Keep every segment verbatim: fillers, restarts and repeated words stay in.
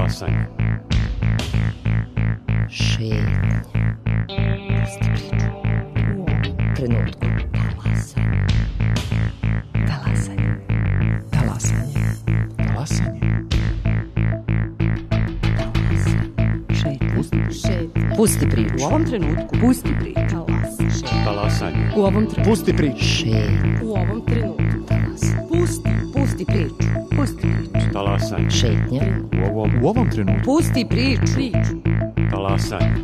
Talasanje. Šetnja. Pusti priču. U ovom trenutku. Talasanje. Talasanje. Talasanje. Talasanje. Šetnja. Šetnja. Pusti priču. U ovom trenutku. Pusti priču. Talasanje. U ovom trenutku. Pusti priču. Šetnja. U ovom trenutku. Talasanje. Pusti. Pusti priču. Pusti priču. Talasanje. Šetnja. U ovom, u ovom trenutku. Pusti priču. Priču. Talasanje.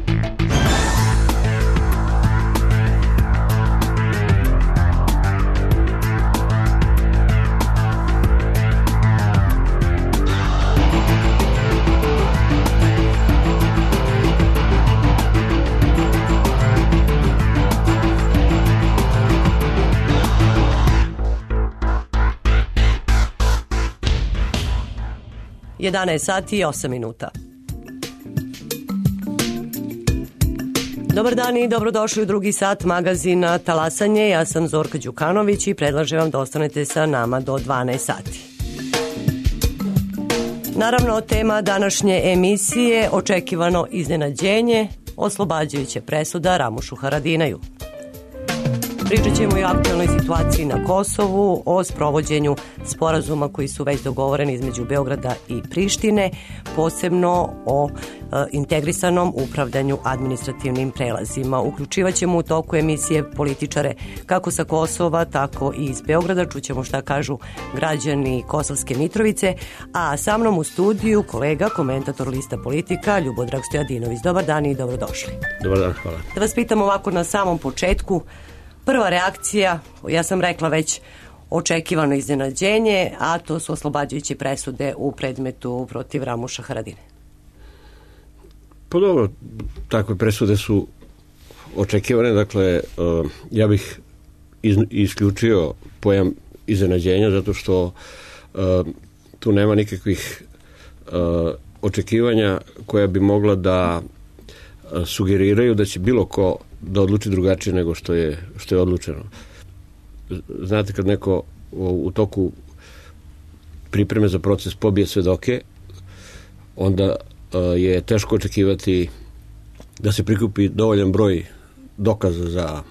jedanaest sati i osam minuta. Dobar dan i dobrodošli u drugi sat magazina Talasanje. Ja sam Zorka Đukanović i predlažem vam da ostanete sa nama do dvanaest sati. Naravno, tema današnje emisije očekivano iznenađenje, oslobađajuća presuda Ramušu Haradinaju. Pričat ćemo i o aktualnoj situaciji na Kosovu, o sprovođenju sporazuma koji su već dogovoreni između Beograda i Prištine, posebno o e, integrisanom upravljanju administrativnim prelazima. Uključivat ćemo u toku emisije političare kako sa Kosova, tako i iz Beograda. Čućemo šta kažu građani Kosovske Mitrovice, a sa mnom u studiju kolega, komentator lista Politika, Ljubodrag Stojadinović. Dobar dan i dobrodošli. Dobar dan, hvala. Da vas pitam ovako na samom početku, prva reakcija, ja sam rekla već očekivano iznenađenje, a to su oslobađajuće presude u predmetu protiv Ramuša Haradine. Pa dobro, takve presude su očekivane, dakle, uh, ja bih iz, isključio pojam iznenađenja, zato što uh, tu nema nikakvih uh, očekivanja koja bi mogla da uh, sugeriraju da će bilo ko da odluči drugačije nego što je, što je odlučeno. Znate, kad neko u, u toku pripreme za proces pobije svedoke, onda uh, je teško očekivati da se prikupi dovoljan broj dokaza za,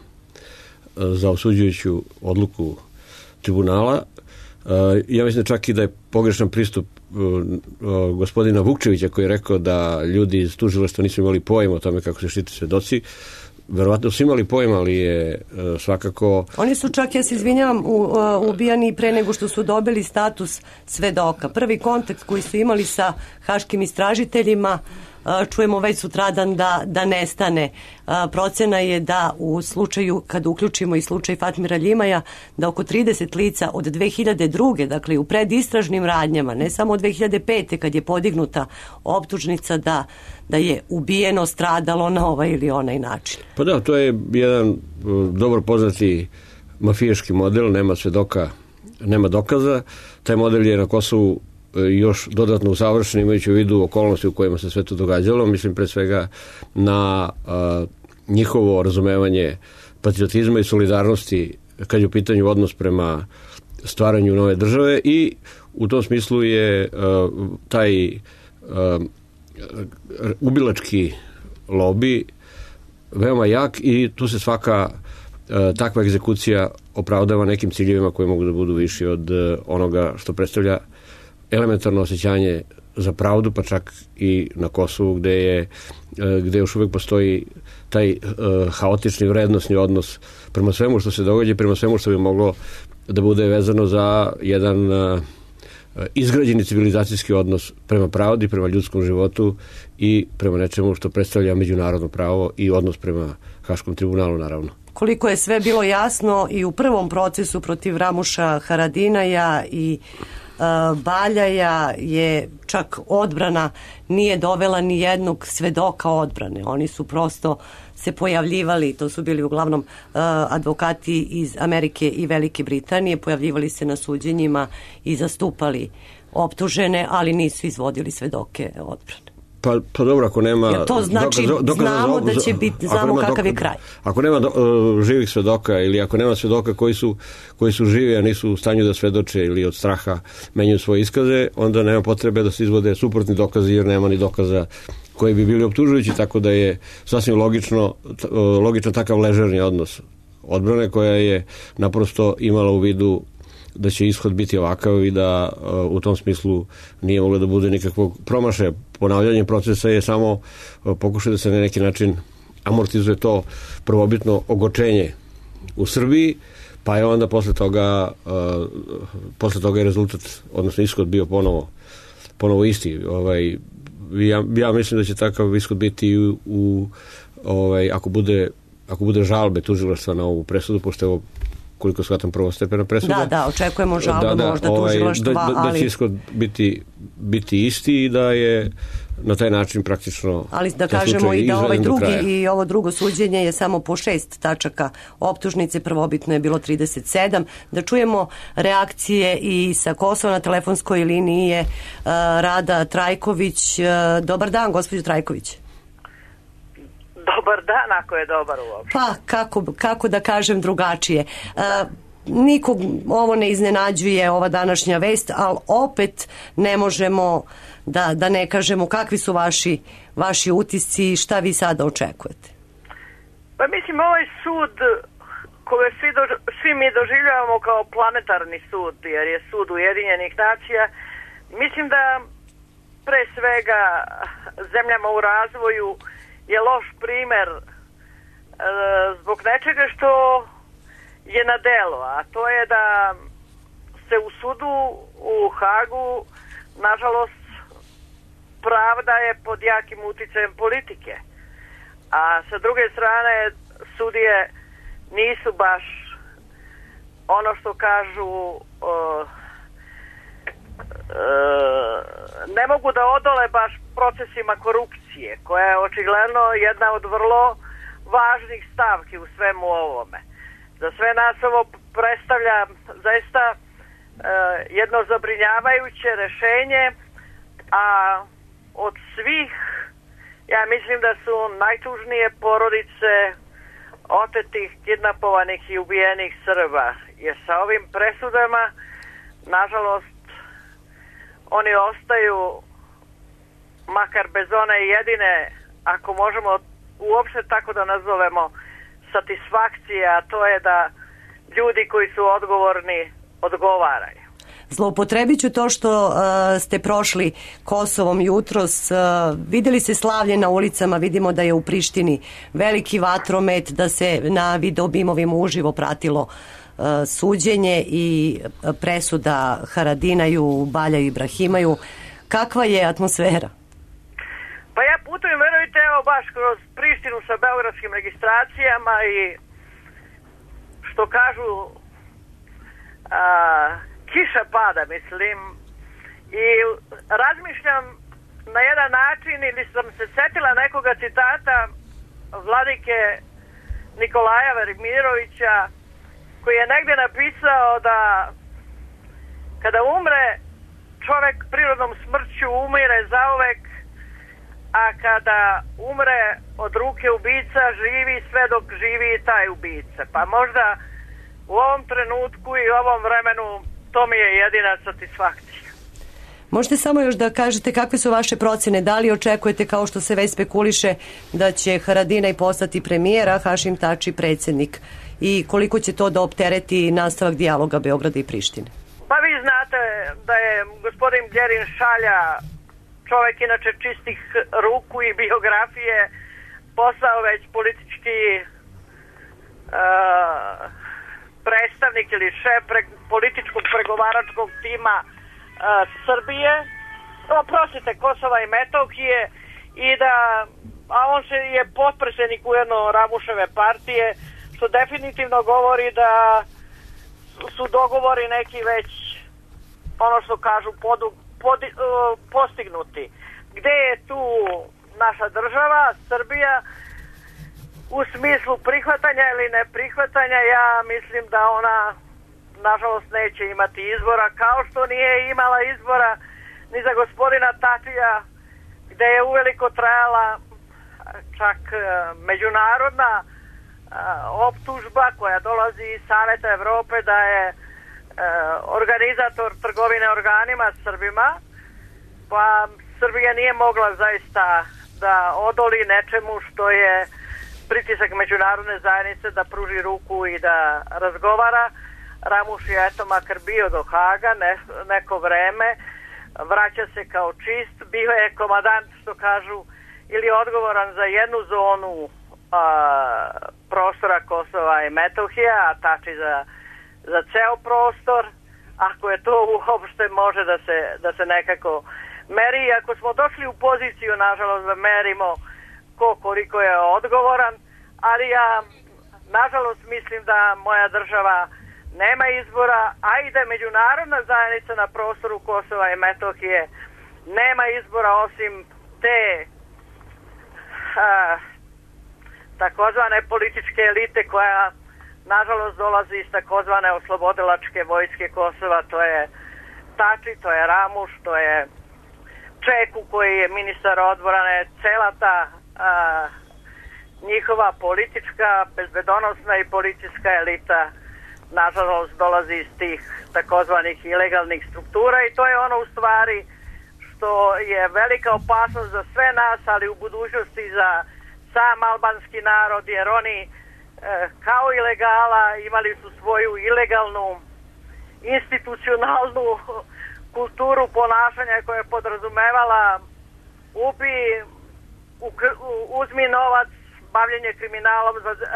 uh, za osuđujuću odluku tribunala. Uh, ja mislim čak i da je pogrešan pristup uh, uh, gospodina Vukčevića, koji je rekao da ljudi iz tužilaštva nisu imali pojma o tome kako se štite svedoci. Verovatno su imali pojma, ali je uh, svakako... Oni su čak, ja se izvinjavam, u, uh, ubijani pre nego što su dobili status svedoka. Prvi kontakt koji su imali sa haškim istražiteljima, uh, čujemo već sutradan da, da nestane. Uh, procena je da u slučaju, kad uključimo i slučaj Fatmira Ljimaja, da oko trideset lica od dve hiljade druge, dakle u predistražnim radnjama, ne samo od dve hiljade pete kad je podignuta optužnica da da je ubijeno, stradalo na ovaj ili onaj način. Pa da, to je jedan dobro poznati mafijaški model, nema svedoka, nema dokaza. Taj model je na Kosovu još dodatno usavršen, imajući u vidu okolnosti u kojima se sve to događalo. Mislim pre svega na a, njihovo razumevanje patriotizma i solidarnosti kad je u pitanju odnos prema stvaranju nove države, i u tom smislu je a, taj a, ubilački lobi veoma jak, i tu se svaka e, takva egzekucija opravdava nekim ciljevima koji mogu da budu viši od e, onoga što predstavlja elementarno osjećanje za pravdu, pa čak i na Kosovu, gde je e, gde još uvek postoji taj e, haotični vrednosni odnos prema svemu što se događa, prema svemu što bi moglo da bude vezano za jedan e, izgrađeni civilizacijski odnos prema pravdi, prema ljudskom životu i prema nečemu što predstavlja međunarodno pravo i odnos prema Haškom tribunalu, naravno. Koliko je sve bilo jasno i u prvom procesu protiv Ramuša Haradinaja i uh, Baljaja, je čak odbrana nije dovela ni jednog svedoka odbrane. Oni su prosto se pojavljivali, to su bili uglavnom uh, advokati iz Amerike i Velike Britanije, pojavljivali se na suđenjima i zastupali optužene, ali nisu izvodili svedoke odbrane. Pa, pa dobro, ako nema... Jer to znači, dokaza, dokaza znamo za, da će biti, znamo kakav dokaza, je kraj. Ako nema do, uh, živih svedoka ili ako nema svedoka koji su, koji su živi, a nisu u stanju da svedoče ili od straha menjaju svoje iskaze, onda nema potrebe da se izvode suprotni dokazi jer nema ni dokaza koji bi bili optužujući, tako da je sasvim logično, logično takav ležerni odnos odbrane koja je naprosto imala u vidu da će ishod biti ovakav i da uh, u tom smislu nije moglo da bude nikakvog promašaja. Ponavljanje procesa je samo uh, pokušaj da se na neki način amortizuje to prvobitno ogorčenje u Srbiji, pa je onda posle toga uh, posle toga je rezultat, odnosno ishod bio ponovo, ponovo isti. Ovaj, ja, ja mislim da će takav ishod biti u, u ovaj, ako bude ako bude žalbe tužilaštva na ovu presudu, pošto je ovo koliko shvatam prvostepena presuda. Da, da, očekujemo žalbu da, da, možda ovaj, tužilaštva, da, da, ali... da će ishod biti, biti isti i da je na taj način praktično... Ali da kažemo i da ovaj drugi i ovo drugo suđenje je samo po šest tačaka optužnice, prvobitno je bilo trideset sedam. Da čujemo reakcije i sa Kosova. Na telefonskoj liniji je uh, Rada Trajković. Uh, dobar dan, gospođo Trajković. Dobar dan, ako je dobar uopšte. Pa, kako, kako da kažem drugačije. Uh, nikog ovo ne iznenađuje, ova današnja vest, ali opet ne možemo da, da ne kažemo kakvi su vaši, vaši utisci i šta vi sada očekujete. Pa mislim, ovaj sud koje svi, do, svi mi doživljavamo kao planetarni sud, jer je sud Ujedinjenih nacija, mislim da pre svega zemljama u razvoju je loš primer e, zbog nečega što je na delo, a to je da se u sudu u Hagu, nažalost, pravda je pod jakim uticajem politike. A sa druge strane, sudije nisu baš ono što kažu, o, e, ne mogu da odole baš procesima korupcije, koja je očigledno jedna od vrlo važnih stavki u svemu ovome. Za sve nas ovo predstavlja zaista e, jedno zabrinjavajuće rešenje, a od svih, ja mislim da su najtužnije porodice otetih, kidnapovanih i ubijenih Srba. Jer sa ovim presudama, nažalost, oni ostaju, makar bez one jedine, ako možemo uopšte tako da nazovemo, satisfakcije, a to je da ljudi koji su odgovorni odgovaraju. Zloupotrebit ću to što uh, ste prošli Kosovom jutros. Uh, videli se slavlje na ulicama, vidimo da je u Prištini veliki vatromet, da se na videobimovima uživo pratilo uh, suđenje i presuda Haradinaju, Baljaju i Ibrahimaju. Kakva je atmosfera? Pa ja putujem, verujte, evo baš kroz Prištinu sa beogradskim registracijama i što kažu a, kiša pada, mislim, i razmišljam na jedan način, ili sam se setila nekoga citata vladike Nikolaja Velimirovića, koji je negdje napisao da kada umre čovek prirodnom smrću umire zauvek, a kada umre od ruke ubica živi sve dok živi i taj ubica. Pa možda u ovom trenutku i ovom vremenu to mi je jedina satisfakcija. Možete samo još da kažete kakve su vaše procene, da li očekujete, kao što se već spekuliše, da će Haradinaj postati premijer, a Hašim Tači predsjednik, i koliko će to da optereti nastavak dijaloga Beograda i Prištine? Pa vi znate da je gospodin Gjerin Šalja, čovjek inače čistih ruku i biografije, postao već politički uh, predstavnik ili šef pre, političkog pregovaračkog tima uh, Srbije, oprostite, Kosova i Metohije, i da, a on se je potpredsjednik ujedno Ramuševe partije, što definitivno govori da su dogovori neki već, ono što kažu, podu, pod, uh, postignuti. Gde je tu naša država, Srbija, u smislu prihvatanja ili neprihvatanja? Ja mislim da ona, nažalost, neće imati izbora, kao što nije imala izbora ni za gospodina Tačija gde je uveliko trajala čak međunarodna optužba koja dolazi iz Saveta Evrope da je organizator trgovine organima Srbima, pa Srbija nije mogla zaista da odoli nečemu što je pritisak međunarodne zajednice da pruži ruku i da razgovara. Ramuš je eto makar bio do Haga ne, neko vreme, vraća se kao čist, bio je komadant, što kažu, ili odgovoran za jednu zonu a, prostora Kosova i Metohije, a tači za, za ceo prostor, ako je to uopšte može da se, da se nekako meri. Ako smo došli u poziciju, nažalost, da merimo ko koliko je odgovoran, ali ja nažalost mislim da moja država nema izbora, a i da međunarodna zajednica na prostoru Kosova i Metohije nema izbora osim te a, takozvane političke elite koja nažalost dolazi iz takozvane oslobodilačke vojske Kosova. To je Tači, to je Ramuš, to je Čeku koji je ministar odbrane, cela ta a, njihova politička, bezbedonosna i policijska elita nažalost dolazi iz tih takozvanih ilegalnih struktura i to je ono u stvari što je velika opasnost za sve nas, ali u budućnosti za sam albanski narod, jer oni e, kao ilegala imali su svoju ilegalnu institucionalnu kulturu ponašanja koja je podrazumevala ubi, uzmi novac, bavljenje kriminalom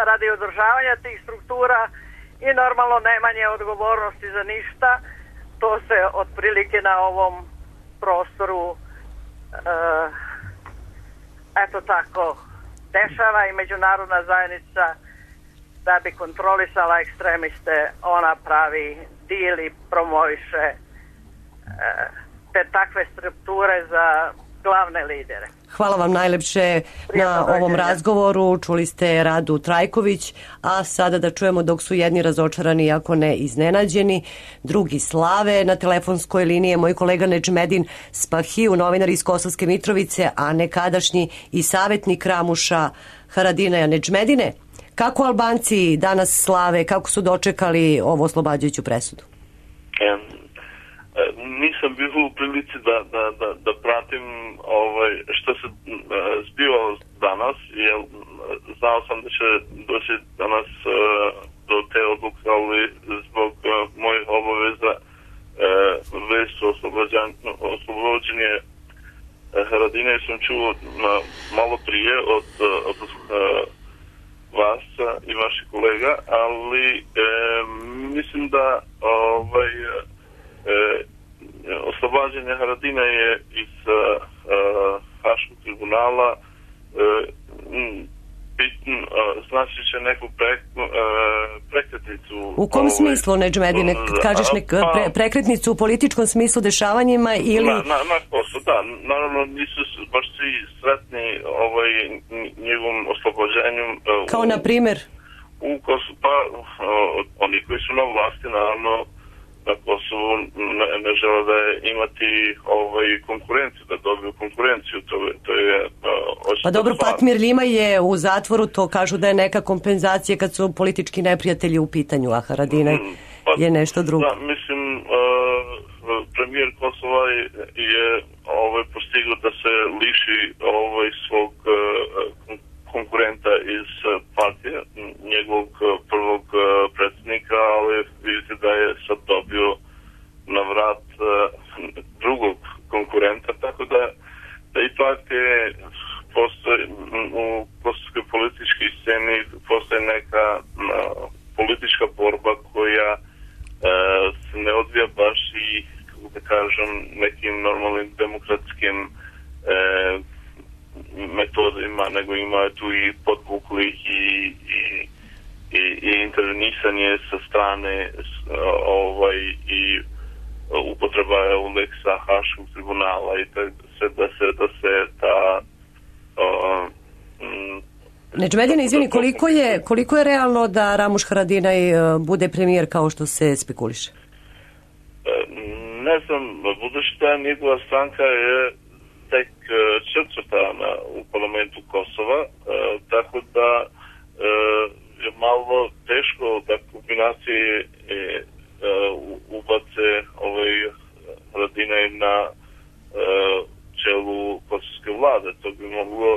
radi održavanja tih struktura i normalno nemanje odgovornosti za ništa. To se otprilike na ovom prostoru e, eto tako dešava i međunarodna zajednica da bi kontrolisala ekstremiste, ona pravi dil i promoviše e, te takve strukture za glavne lidere. Hvala vam najlepše na ovom razgovoru. Čuli ste Radu Trajković, a sada da čujemo dok su jedni razočarani, ako ne iznenađeni, drugi slave. Na telefonskoj liniji je moj kolega Nedžmedin Spahiju, novinar iz Kosovske Mitrovice, a nekadašnji i savjetnik Ramuša Haradinaja. Nedžmedine, kako Albanci danas slave, kako su dočekali ovu oslobađajuću presudu? Um. Nisam bio u prilici da, da, da, da pratim ovaj, što se uh, zbivalo danas, jer znao sam da će doći danas uh, do te odluke, ali zbog uh, mojih obaveza uh, vest o oslobođenje uh, Haradine sam čuo uh, malo prije od, uh, od uh, vas uh, i vaših kolega, ali uh, mislim da ovaj E, oslobađanje Haradina je iz uh, uh, Haškog tribunala uh, bitno, uh, znači će neku pre, uh, prekretnicu. U kom ovaj, smislu, Nedžmedine? Kažeš nek, pre, prekretnicu u političkom smislu dešavanjima ili... Na, na, na Kosovu, da. Naravno nisu baš svi sretni ovaj, njegovom oslobođenjem. Uh, Kao u, na primjer? U Kosovu, pa uh, oni koji su na vlasti, naravno, na Kosovu ne, ne žele da je imati ovaj konkurenciju, da dobiju konkurenciju, to, to je... Uh, pa dobro, Fatmir Lima je u zatvoru, to kažu da je neka kompenzacija kad su politički neprijatelji u pitanju, a Haradinaj mm, pa, je nešto drugo. Da, mislim, uh, premijer Kosova je, je ovaj, postigao da se liši ovaj, svog uh, konkurenta iz partije, njegovog prvog predsjednika, ali vidite da je sad dobio na vrat drugog konkurenta, tako da, da ipak je postoji, u kosovskoj političkoj sceni postoji neka uh, politička borba koja uh, se ne odvija baš i, kako da kažem, nekim normalnim demokratskim uh, metodima, nego ima tu i podbuklih i, i, i, i intervenisanje sa strane ovaj, i upotreba Uleksa Haškog tribunala i da se, da se, da se ta uh, Nedžmedine, izvini, koliko je, koliko je realno da Ramuš Haradinaj bude premijer kao što se spekuliše? Ne znam, budući da njegova stranka je tek četvrtana u parlamentu Kosova, tako da je malo teško da kombinacije ubace ovaj Haradinaj na čelu kosovske vlade. To bi moglo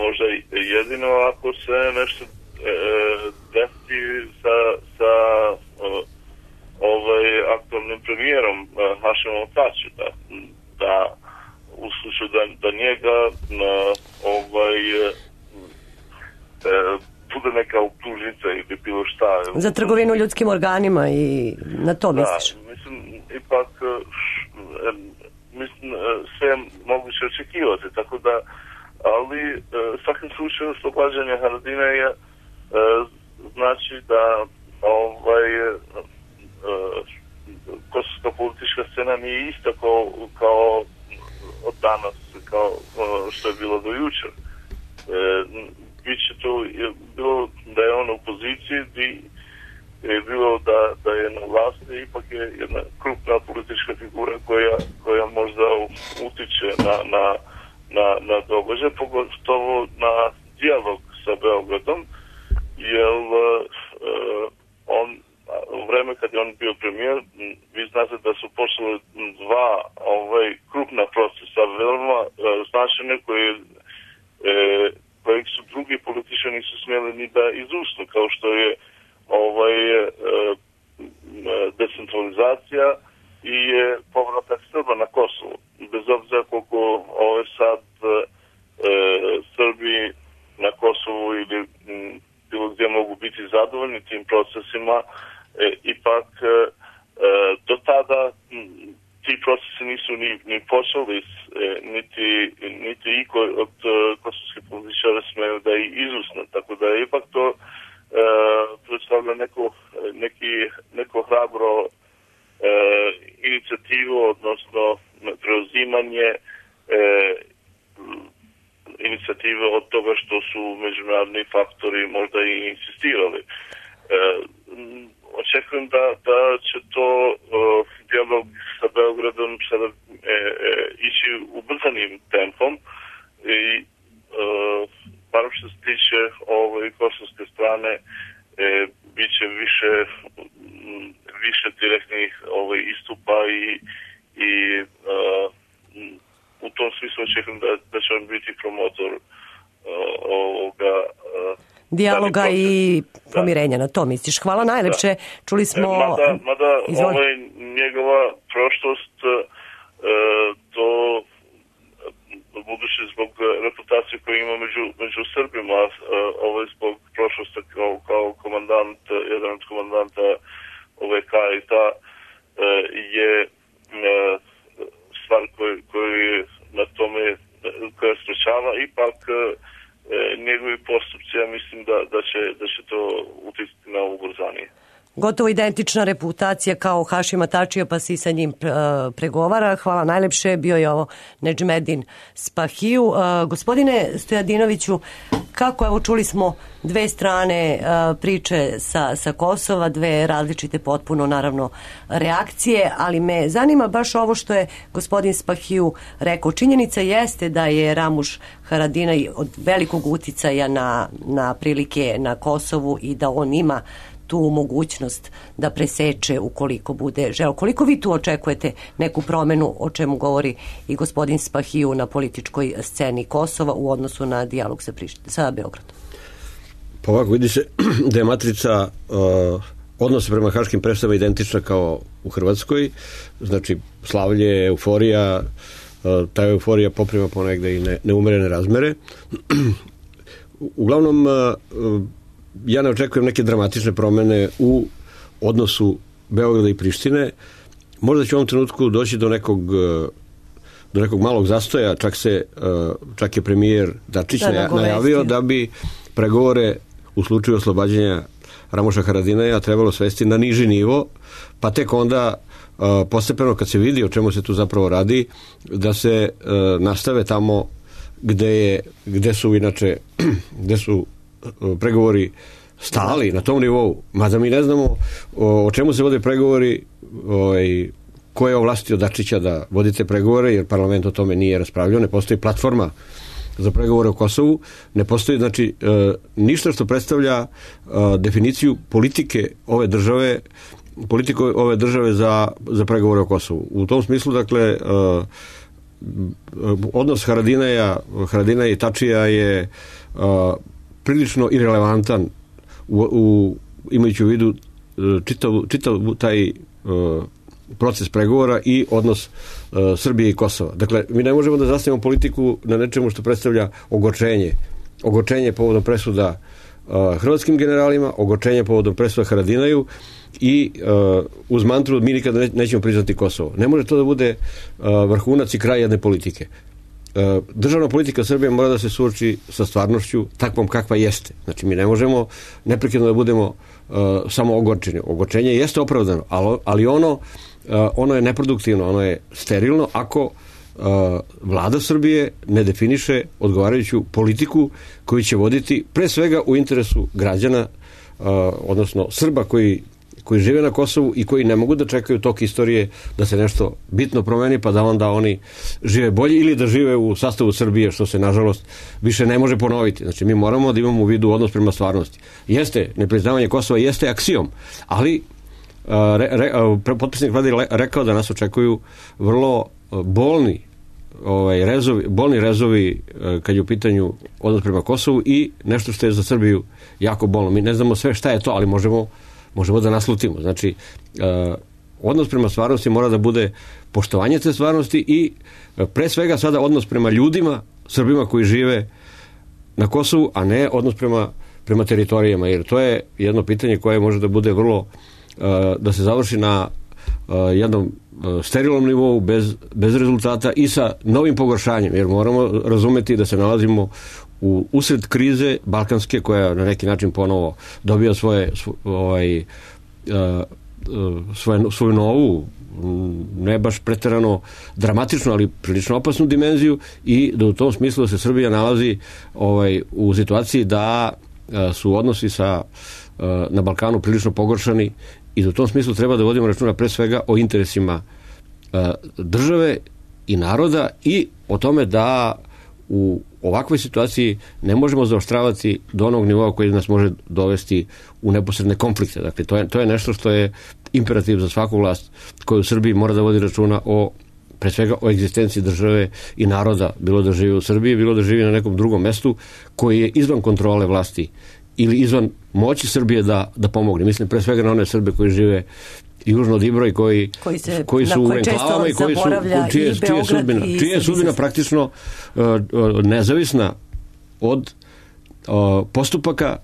možda jedino ako se nešto desi sa, sa ovaj aktualnim premijerom Hašimom Tačijem, da, da u slučaju da, da njega na, ovaj e, bude neka optužnica ili bilo šta. Za trgovinu ljudskim organima i na to misliš? Da, mislim, ipak e, mislim, sve je moguće očekivati, tako da, ali e, svakim slučaju oslobađanje Haradinaja e, znači da ovaj e, kosovska politička scena nije ista kao, kao od danas, kao što je bilo do jučer. E, biće to je bilo da je on u poziciji i je bilo da, da je na vlasti, ipak je jedna krupna politička figura koja, koja možda utiče na, na, na, na događaj, pogotovo na dijalog sa Beogradom, jer e, on u vreme kad je on bio premijer, vi znate da su počeli dva ovaj, krupna procesa, veoma e, značajne koje, e, koje su drugi političani nisu smjeli ni da izusnu, kao što je ovaj, e, decentralizacija i e, povratak Srba na Kosovo. Bez obzira koliko ovaj, sad e, Srbi na Kosovu ili m, bilo gdje mogu biti zadovoljni tim procesima, E, ipak e, do tada m, ti procesi nisu ni, ni počeli, e, niti, niti iko od e, kosovskih političara smeju da ih izusne, tako da je ipak to e, predstavlja neko, neki, neko hrabro e, inicijativu, odnosno preuzimanje e, inicijative od toga što su međunarodni faktori možda i insistirali. E, Očekujem da, da će to uh, dijalog sa Beogradom sada e, e, ići ubrzanim tempom i uh, bar što se tiče ove kosovske strane e, bit će više, m, više direktnih ove, istupa i, i uh, u tom smislu očekujem da, da će on biti promotor uh, ovoga uh, dijaloga i pomirenja, na to misliš. Hvala najlepše. Da. Čuli smo... Mada, mada ovaj, njegova prošlost e, to budući zbog reputacije koju ima među, među Srbima, e, ovaj zbog prošlosti kao, kao komandant, jedan od komandanta ove K I T-a e, je e, stvar koju, koju na tome koja sprečava ipak e, njegovi postupci, ja mislim da, da, će, da će to uticati na ubrzanje. Gotovo identična reputacija kao Hašima Tačija, pa si sa njim pregovara. Hvala najlepše. Bio je ovo Nedžmedin Spahiju. Uh, gospodine Stojadinoviću, kako, evo čuli smo dve strane uh, priče sa, sa Kosova, dve različite potpuno naravno reakcije, ali me zanima baš ovo što je gospodin Spahiju rekao. Činjenica jeste da je Ramuš Haradinaj od velikog uticaja na, na prilike na Kosovu i da on ima tu mogućnost da preseče ukoliko bude želeo. Koliko vi tu očekujete neku promenu, o čemu govori i gospodin Spahiju, na političkoj sceni Kosova u odnosu na dijalog sa, Prišt- sa Beogradom? Pa ovako, vidi se da je matrica uh, odnosa prema haškim presudama identična kao u Hrvatskoj, znači slavlje, euforija, uh, ta euforija poprima ponegde i ne, neumerene razmere. Uglavnom, uh, ja ne očekujem neke dramatične promene u odnosu Beograda i Prištine. Možda će u ovom trenutku doći do nekog do nekog malog zastoja, čak se čak je premijer Dačić da, najavio da bi pregovore u slučaju oslobađanja Ramuša Haradinaja trebalo svesti na niži nivo, pa tek onda postepeno kad se vidi o čemu se tu zapravo radi, da se nastave tamo gde je, gde su inače gde su pregovori stali na tom nivou, mada mi ne znamo o, o čemu se vode pregovori, ovaj, ko je ovlastio Dačića da vodite pregovore, jer parlament o tome nije raspravljao, ne postoji platforma za pregovore o Kosovu, ne postoji znači ništa što predstavlja definiciju politike ove države, politiku ove države za, za pregovore o Kosovu. U tom smislu, dakle, odnos Haradinaja, Haradinaja i Tačija je prilično irelevantan u, u, imajući u vidu čitav, čitav taj proces pregovora i odnos uh, Srbije i Kosova. Dakle, mi ne možemo da zasnijemo politiku na nečemu što predstavlja ogorčenje. Ogorčenje povodom presuda uh, hrvatskim generalima, ogorčenje povodom presuda Haradinaju i uh, uz mantru mi nikada ne, nećemo priznati Kosovo. Ne može to da bude uh, vrhunac i kraj jedne politike. Uh, državna politika Srbije mora da se suoči sa stvarnošću takvom kakva jeste. Znači, mi ne možemo neprekidno da budemo uh, samo ogorčeni. Ogorčenje jeste opravdano, ali, ali ono Uh, ono je neproduktivno, ono je sterilno ako uh, vlada Srbije ne definiše odgovarajuću politiku koju će voditi pre svega u interesu građana, uh, odnosno Srba koji, koji žive na Kosovu i koji ne mogu da čekaju tok istorije da se nešto bitno promeni pa da onda oni žive bolje ili da žive u sastavu Srbije, što se nažalost više ne može ponoviti. Znači, mi moramo da imamo u vidu odnos prema stvarnosti. Jeste, nepriznavanje Kosova jeste aksijom, ali Re, re, potpisnik vlade rekao da nas očekuju vrlo bolni ovaj, rezovi, bolni rezovi kad je u pitanju odnos prema Kosovu i nešto što je za Srbiju jako bolno. Mi ne znamo sve šta je to, ali možemo, možemo da naslutimo. Znači, odnos prema stvarnosti mora da bude poštovanje te stvarnosti i pre svega sada odnos prema ljudima, Srbima koji žive na Kosovu, a ne odnos prema, prema teritorijama, jer to je jedno pitanje koje može da bude vrlo da se završi na jednom sterilnom nivou bez, bez rezultata i sa novim pogoršanjem, jer moramo razumeti da se nalazimo u usred krize balkanske koja na neki način ponovo dobija svoje ovaj, svoje, svoju novu, ne baš preterano dramatično, ali prilično opasnu dimenziju i da u tom smislu se Srbija nalazi ovaj, u situaciji da su odnosi sa na Balkanu prilično pogoršani i u tom smislu treba da vodimo računa pre svega o interesima uh, države i naroda i o tome da u ovakvoj situaciji ne možemo zaoštravati do onog nivoa koji nas može dovesti u neposredne konflikte. Dakle, to je, to je nešto što je imperativ za svaku vlast koja u Srbiji mora da vodi računa o pre svega o egzistenciji države i naroda, bilo da živi u Srbiji, bilo da živi na nekom drugom mestu koji je izvan kontrole vlasti ili izvan moći Srbije da, da pomogne. Mislim pre svega na one Srbe koji žive južno od Ibra i koji, koji, se, koji su u enklavama i koji su čije, čije sudbina, čije sudbina praktično uh, nezavisna od uh, postupaka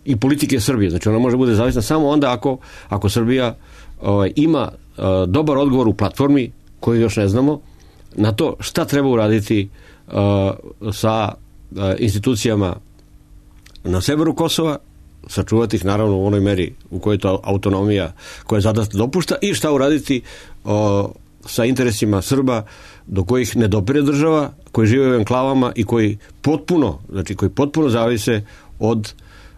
i politike Srbije. Znači ona može bude zavisna samo onda ako, ako Srbija uh, ima uh, dobar odgovor u platformi koju još ne znamo na to šta treba uraditi uh, sa uh, institucijama na severu Kosova, sačuvati ih naravno u onoj meri u kojoj to autonomija koja zadata dopušta i šta uraditi o, sa interesima Srba do kojih ne dopire država, koji žive u enklavama i koji potpuno, znači koji potpuno zavise od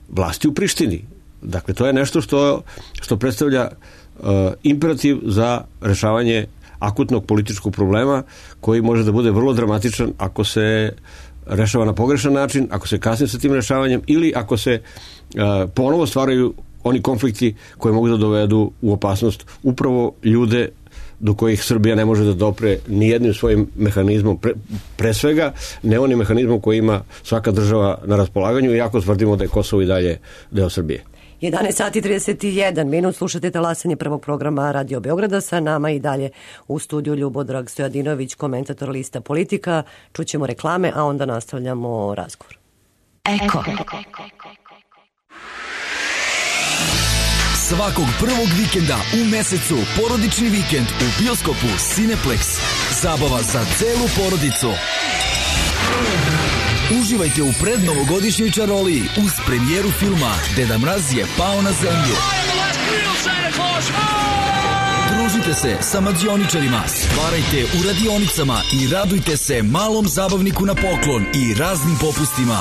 vlasti u Prištini. Dakle, to je nešto što, što predstavlja uh, imperativ za rešavanje akutnog političkog problema koji može da bude vrlo dramatičan ako se rešava na pogrešan način, ako se kasni sa tim rešavanjem ili ako se uh, ponovo stvaraju oni konflikti koji mogu da dovedu u opasnost upravo ljude do kojih Srbija ne može da dopre ni jednim svojim mehanizmom, pre, pre svega ne onim mehanizmom koji ima svaka država na raspolaganju, iako tvrdimo da je Kosovo i dalje deo Srbije. jedanaest sati i trideset jedan minut, slušate talasanje prvog programa Radio Beograda, sa nama i dalje u studiju Ljubodrag Stojadinović, komentator lista Politika. Čućemo reklame, a onda nastavljamo razgovor. Eko. Svakog prvog vikenda u mesecu porodični vikend u bioskopu Cineplex. Zabava za celu porodicu. Uživajte u prednovogodišnjoj čaroliji uz premijeru filma Deda Mraz je pao na zemlju. Družite se sa mađioničarima, stvarajte u radionicama i radujte se malom zabavniku na poklon i raznim popustima.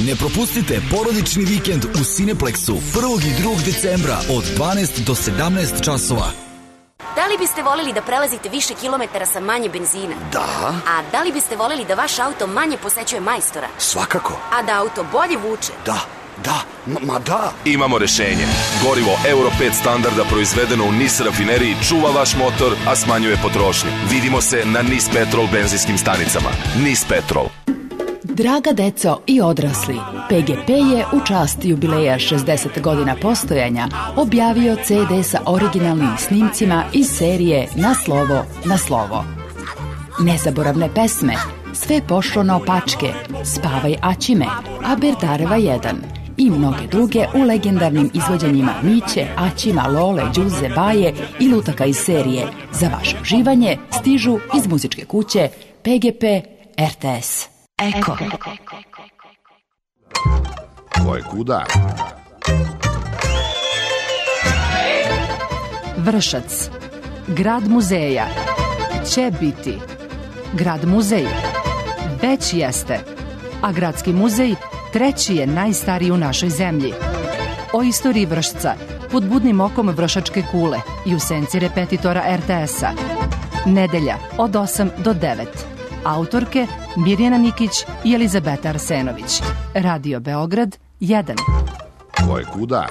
Ne propustite porodični vikend u Cineplexu prvog i drugog decembra od dvanaest do sedamnaest časova. Da li li biste voljeli da prelazite više kilometara sa manje benzina? Da. A da li biste voljeli da vaš auto manje posećuje majstora? Svakako. A da auto bolje vuče? Da, da, ma, ma da. Imamo rešenje. Gorivo Euro pet standarda proizvedeno u NIS rafineriji čuva vaš motor, a smanjuje potrošnju. Vidimo se na NIS Petrol benzinskim stanicama. NIS Petrol. Draga deco i odrasli, P G P je u čast jubileja šezdeset godina postojanja objavio C D sa originalnim snimcima iz serije Na slovo, na slovo. Nezaboravne pesme, Sve pošlo naopačke, Spavaj Aćime, Aberdareva jedan i mnoge druge u legendarnim izvođenjima Miće, Aćima, Lole, Đuze, Baje i lutaka iz serije. Za vaše uživanje stižu iz muzičke kuće P G P R T S. Eko. Ko je kuda? Vršac. Grad muzeja. Će biti. Grad muzej. Već jeste. A gradski muzej treći je najstariji u našoj zemlji. O istoriji Vršca pod budnim okom Vršačke kule i u senci repetitora R T S-a. Nedelja od osam do devet. Autorke Mirjana Nikić i Elizabeta Arsenović. Radio Beograd jedan. Ko je kuda?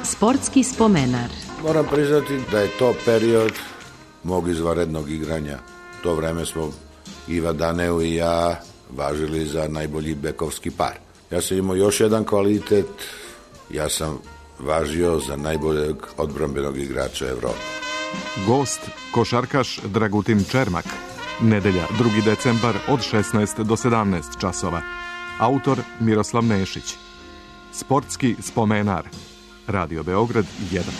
Sportski spomenar. Moram priznati da je to period mog izvanrednog igranja. To vreme smo Iva Daneu i ja važili za najbolji bekovski par. Ja sam imao još jedan kvalitet, ja sam važio za najboljeg odbrambenog igrača Evrope. Gost, košarkaš Dragutin Čermak. Nedelja, drugi decembar od šesnaest do sedamnaest časova. Autor Miroslav Nešić. Sportski spomenar. Radio Beograd jedan.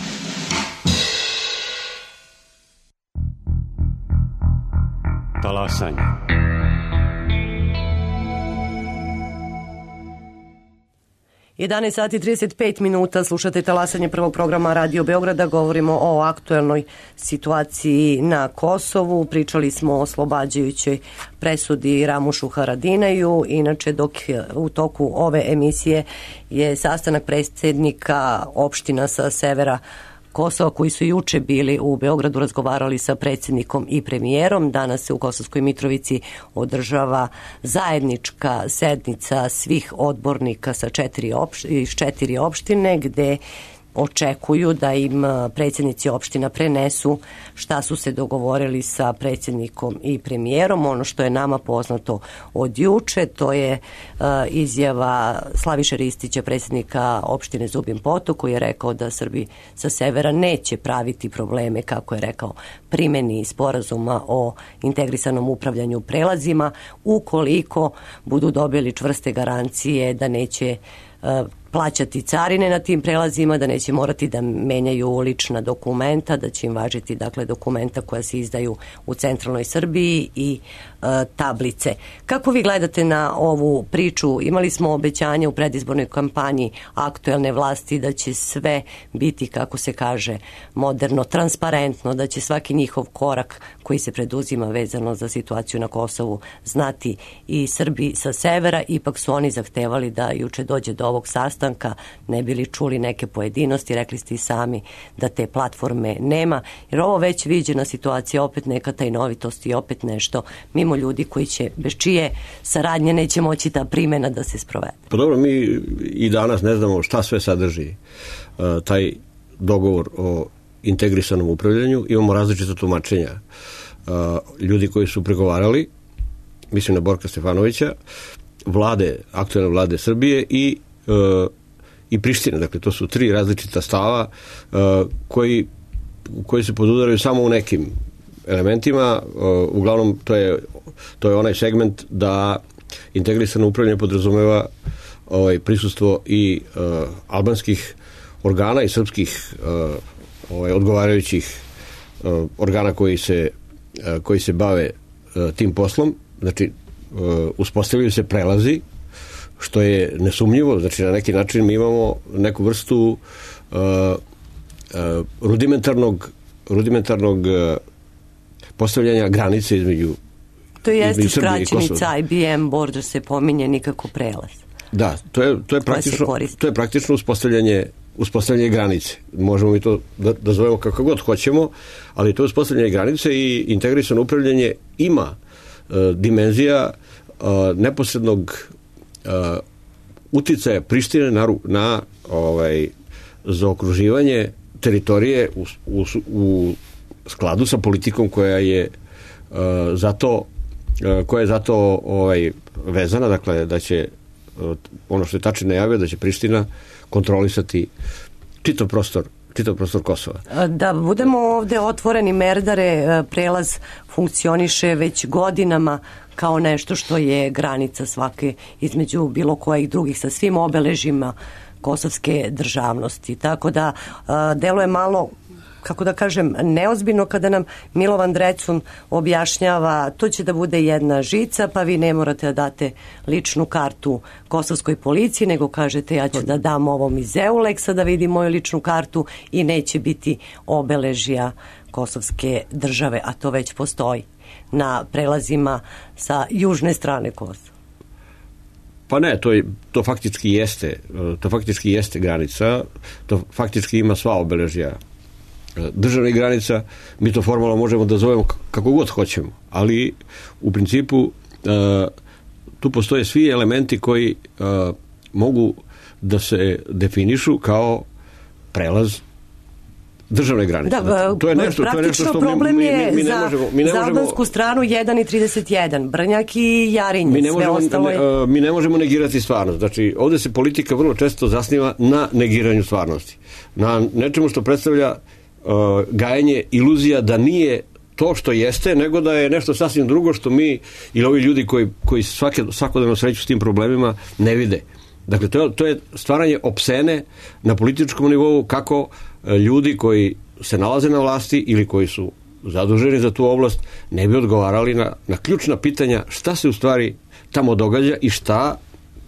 Talasanje. jedanaest sati i trideset pet minuta, slušate talasanje prvog programa Radio Beograda, govorimo o aktuelnoj situaciji na Kosovu, pričali smo o oslobađajućoj presudi Ramušu Haradinaju, inače dok u toku ove emisije je sastanak predsjednika opština sa severa Kosova koji su juče bili u Beogradu, razgovarali sa predsjednikom i premijerom. Danas se u Kosovskoj Mitrovici održava zajednička sednica svih odbornika sa četiri opš- iz četiri opštine gde očekuju da im predsjednici opština prenesu šta su se dogovorili sa predsjednikom i premijerom. Ono što je nama poznato od juče, to je uh, izjava Slaviše Ristića, predsjednika opštine Zubin Potok, koji je rekao da Srbi sa severa neće praviti probleme, kako je rekao, primjeni sporazuma o integrisanom upravljanju prelazima, ukoliko budu dobili čvrste garancije da neće uh, plaćati carine na tim prelazima, da neće morati da menjaju lična dokumenta, da će im važiti dakle dokumenta koja se izdaju u centralnoj Srbiji i e, tablice. Kako vi gledate na ovu priču? Imali smo obećanje u predizbornoj kampanji aktuelne vlasti da će sve biti, kako se kaže, moderno, transparentno, da će svaki njihov korak koji se preduzima vezano za situaciju na Kosovu znati i Srbi sa severa. Ipak su oni zahtevali da juče dođe do ovog sastanka, ne bili čuli neke pojedinosti, rekli ste i sami da te platforme nema, jer ovo već viđena situacija, opet neka tajnovitost i opet nešto mimo ljudi koji će, bez čije saradnje neće moći ta primjena da se sprovede. Pa dobro, mi i danas ne znamo šta sve sadrži uh, taj dogovor o integrisanom upravljanju, imamo različita tumačenja. Uh, ljudi koji su pregovarali, mislim na Borka Stefanovića, vlade, aktuelne vlade Srbije i uh, i Prištine, dakle to su tri različita stava uh, koji, koji se podudaraju samo u nekim elementima, uh, uglavnom to je, to je onaj segment da integrisano upravljanje podrazumeva ovaj, prisustvo i uh, albanskih organa i srpskih uh, ovaj, odgovarajućih uh, organa koji se, uh, koji se bave uh, tim poslom, znači uh, uspostavljaju se prelazi, što je nesumnjivo, znači na neki način mi imamo neku vrstu uh, uh, rudimentarnog rudimentarnog uh, postavljanja granice između to jeste skraćenica I B M border, se pominje, nikako prelaz. Da, to je, to je, praktično, to je praktično uspostavljanje, uspostavljanje granice. Možemo mi to da, da zovemo kako god hoćemo, ali to je uspostavljanje granice i integrisano upravljanje ima e, dimenzija e, neposrednog e, uticaja Prištine na, na ovaj, zaokruživanje teritorije u, u, u skladu sa politikom koja je uh, zato uh, koja je zato ovaj, vezana, dakle da će uh, ono što je Tači najavio, da će Priština kontrolisati čitav prostor čitav prostor Kosova. Da budemo ovde otvoreni, Merdare, prelaz funkcioniše već godinama kao nešto što je granica svake između bilo kojih drugih sa svim obeležima kosovske državnosti. Tako da deluje malo, kako da kažem, neozbiljno kada nam Milovan Drecun objašnjava to će da bude jedna žica, pa vi ne morate da date ličnu kartu kosovskoj policiji, nego kažete ja ću da dam ovom iz Euleksa da vidi moju ličnu kartu i neće biti obeležja kosovske države, a to već postoji na prelazima sa južne strane Kosova. Pa ne, to, je, to faktički jeste to faktički jeste granica, to faktički ima sva obeležja državnih granica, mi to formalno možemo da zovemo kako god hoćemo, ali u principu tu postoje svi elementi koji mogu da se definišu kao prelaz državne granice. Da, to je nešto, praktično to je nešto što problem mi, mi, je mi, mi ne za, možemo, mi ne za možemo, albansku stranu jedan i trideset jedan, Brnjak i Jarinje, mi ne sve možemo, ostalo je... Ne, mi ne možemo negirati stvarnost. Znači, ovde se politika vrlo često zasniva na negiranju stvarnosti. Na nečemu što predstavlja uh, gajenje iluzija da nije to što jeste, nego da je nešto sasvim drugo što mi ili ovi ljudi koji, koji svake, svakodnevno sreću s tim problemima ne vide. Dakle, to je, to je stvaranje opsene na političkom nivou kako ljudi koji se nalaze na vlasti ili koji su zaduženi za tu oblast ne bi odgovarali na, na ključna pitanja šta se u stvari tamo događa i šta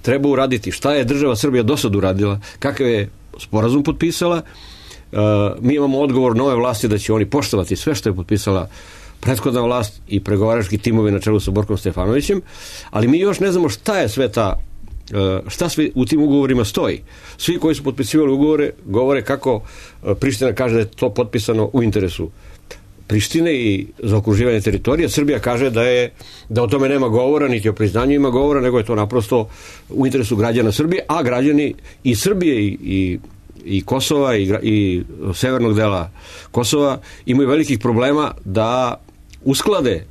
treba uraditi, šta je država Srbija do sad uradila, kakav je sporazum potpisala. Uh, mi imamo odgovor nove vlasti da će oni poštovati sve što je potpisala prethodna vlast i pregovarački timovi na čelu sa Borkom Stefanovićem, ali mi još ne znamo šta je sve ta šta sve u tim ugovorima stoji. Svi koji su potpisivali ugovore govore kako Priština kaže da je to potpisano u interesu Prištine i za okruživanje teritorija. Srbija kaže da je da o tome nema govora, niti o priznanju ima govora, nego je to naprosto u interesu građana Srbije, a građani i Srbije i, i, i Kosova i, i severnog dela Kosova imaju velikih problema da usklade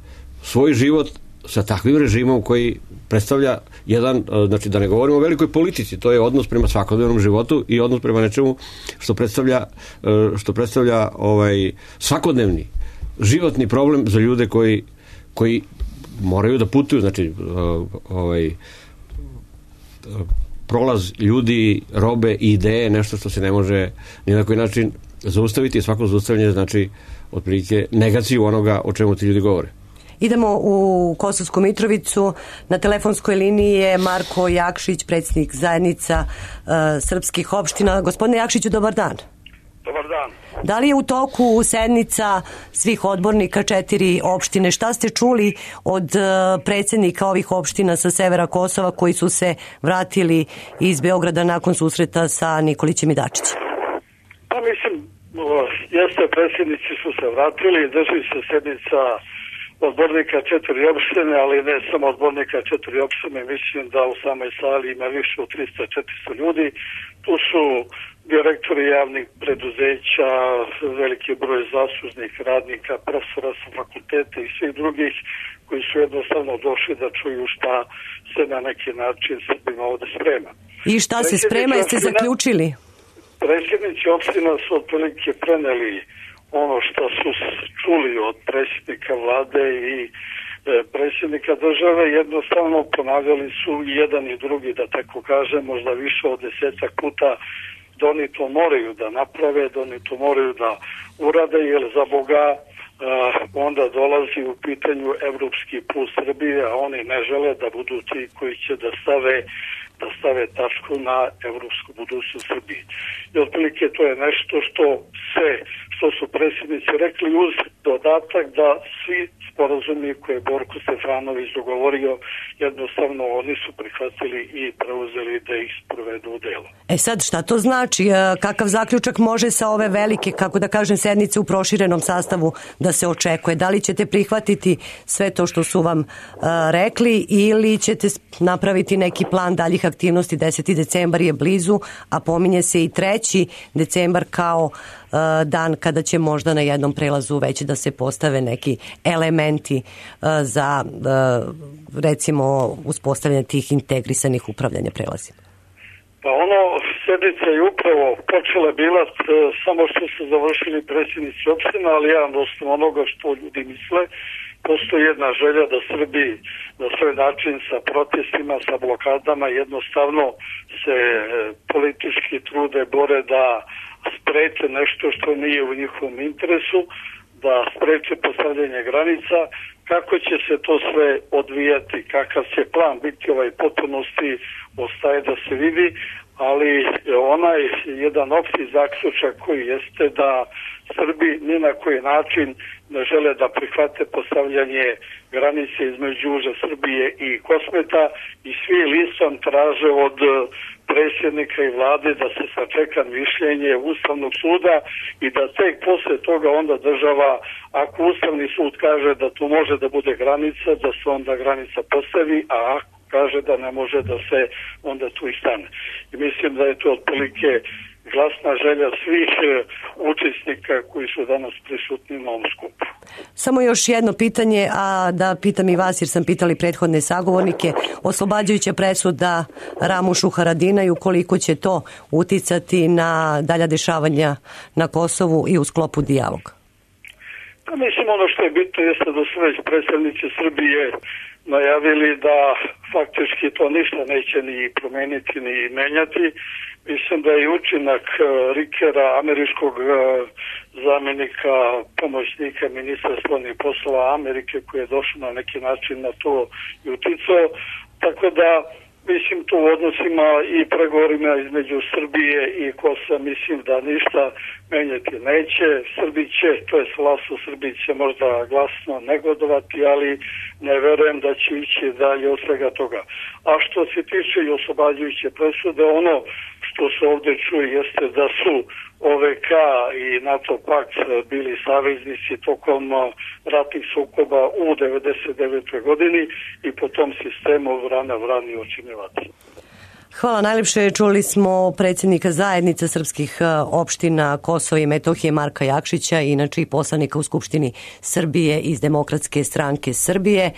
svoj život sa takvim režimom koji predstavlja jedan, znači da ne govorimo o velikoj politici, to je odnos prema svakodnevnom životu i odnos prema nečemu što predstavlja, što predstavlja ovaj, svakodnevni životni problem za ljude koji, koji moraju da putuju, znači ovaj, prolaz ljudi, robe i ideje, nešto što se ne može ni na koji način zaustaviti i svako zaustavljanje znači otprilike negaciju onoga o čemu ti ljudi govore. Idemo u Kosovsku Mitrovicu. Na telefonskoj liniji je Marko Jakšić, predsjednik zajednica uh, srpskih opština. Gospodine Jakšiću, dobar dan. Dobar dan. Da li je u toku sednica svih odbornika četiri opštine? Šta ste čuli od uh, predsjednika ovih opština sa severa Kosova koji su se vratili iz Beograda nakon susreta sa Nikolićem i Dačićem? Pa mislim, jeste, predsjednici su se vratili, drži se sednica odbornika četiri opštine, ali ne samo odbornika četiri opštine, mislim da u samoj sali ima više od tristo do četiristo ljudi. Tu su direktori javnih preduzeća, veliki broj zaslužnih radnika, profesora sa fakulteta i svih drugih koji su jednostavno došli da čuju šta se na neki način Srbima ovde sprema. I šta se sprema, jeste zaključili? Predsjednici opština su otprilike preneli ono što su čuli od predsjednika vlade i e, predsjednika države, jednostavno ponavljali su jedan i drugi, da tako kažem, možda više od desetak puta, da oni to moraju da naprave, da oni to moraju da urade, jer za Boga e, onda dolazi u pitanju evropski put Srbije, a oni ne žele da budu ti koji će da stave da stave tačku na evropsku budućnost Srbije. I otprilike to je nešto što sve što su predsjednici rekli uz dodatak da svi sporazumi koje je Borko Stefanović dogovorio, jednostavno oni su prihvatili i preuzeli da ih sprovedu u delo. E sad, šta to znači? Kakav zaključak može sa ove velike, kako da kažem, sednice u proširenom sastavu da se očekuje? Da li ćete prihvatiti sve to što su vam uh, rekli ili ćete napraviti neki plan daljih aktivnosti? deseti decembar je blizu, a pominje se i treći decembar kao uh, dan kada će možda na jednom prelazu već da se postave neki elementi uh, za uh, recimo uspostavljanje tih integrisanih upravljanja prelazima. Pa ono, sednica je upravo počela bila uh, samo što su završili predsjednici opština, ali ja na osnovu onoga što ljudi misle, postoji jedna želja da Srbi na svoj način sa protestima, sa blokadama jednostavno se uh, politički trude, bore da spreče nešto što nije u njihovom interesu, da spreče postavljanje granica. Kako će se to sve odvijati, kakav će plan biti ovaj potpunosti, ostaje da se vidi, ali onaj jedan opšti zaključak koji jeste da Srbi ni na koji način ne žele da prihvate postavljanje granice između južne Srbije i Kosmeta i svi listom traže od predsjednika i vlade da se sačeka mišljenje Ustavnog suda i da tek posle toga onda država, ako Ustavni sud kaže da tu može da bude granica, da se onda granica postavi, a ako kaže da ne može, da se onda tu i stane. I mislim da je to otprilike glasna želja svih učesnika koji su danas prisutni na ovom skupu. Samo još jedno pitanje, a da pitam i vas jer sam pitali prethodne sagovornike, oslobađajuća presuda Ramušu Haradinaju, koliko će to uticati na dalja dešavanja na Kosovu i u sklopu dijaloga? Pa mislim, ono što je bitno jeste da su već predstavnici Srbije najavili da faktički to ništa neće ni promeniti ni menjati. Mislim da je učinak Rikera, američkog zamjenika, pomoćnika ministra spoljnih poslova Amerike, koji je došao na neki način na to i uticao. Tako da, mislim, to u odnosima i pregovorima između Srbije i Kosova, mislim da ništa menjati neće. Srbi će, to je vlast u Srbiji će možda glasno negodovati, ali ne verujem da će ići dalje od svega toga. A što se tiče i oslobađajuće presude, ono što se ovdje čuje jeste da su O V K i NATO pakt bili saveznici tokom ratnih sukoba u devedeset devetoj godini i po tom sistemu vrana vrani očinjevati. Hvala najljepše. Čuli smo predsjednika zajednice srpskih opština Kosova i Metohije Marka Jakšića, inače i poslanika u Skupštini Srbije iz Demokratske stranke Srbije.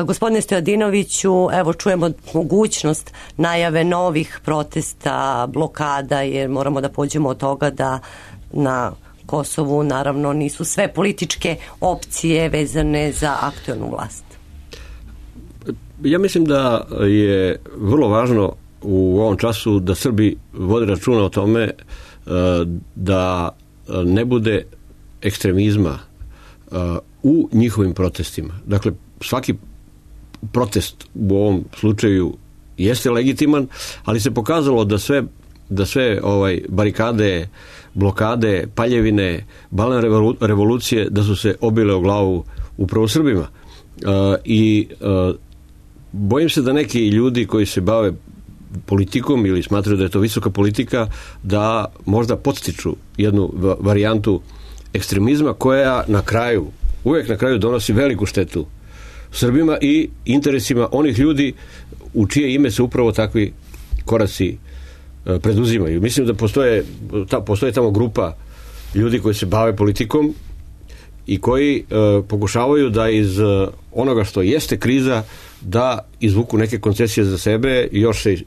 Gospodine Stojadinoviću, evo čujemo mogućnost najave novih protesta, blokada, jer moramo da pođemo od toga da na Kosovu naravno nisu sve političke opcije vezane za aktuelnu vlast. Ja mislim da je vrlo važno u ovom času da Srbi vode računa o tome da ne bude ekstremizma u njihovim protestima. Dakle, svaki protest u ovom slučaju jeste legitiman, ali se pokazalo da sve, da sve ovaj, barikade, blokade, paljevine, balne revolucije, da su se obile o glavu upravo Srbima. Uh, I uh, bojim se da neki ljudi koji se bave politikom ili smatraju da je to visoka politika, da možda podstiču jednu varijantu ekstremizma koja na kraju, uvijek na kraju donosi veliku štetu Srbima i interesima onih ljudi u čije ime se upravo takvi koraci preduzimaju. Mislim da postoje, ta, postoje tamo grupa ljudi koji se bave politikom i koji e, pokušavaju da iz onoga što jeste kriza da izvuku neke koncesije za sebe i još se e,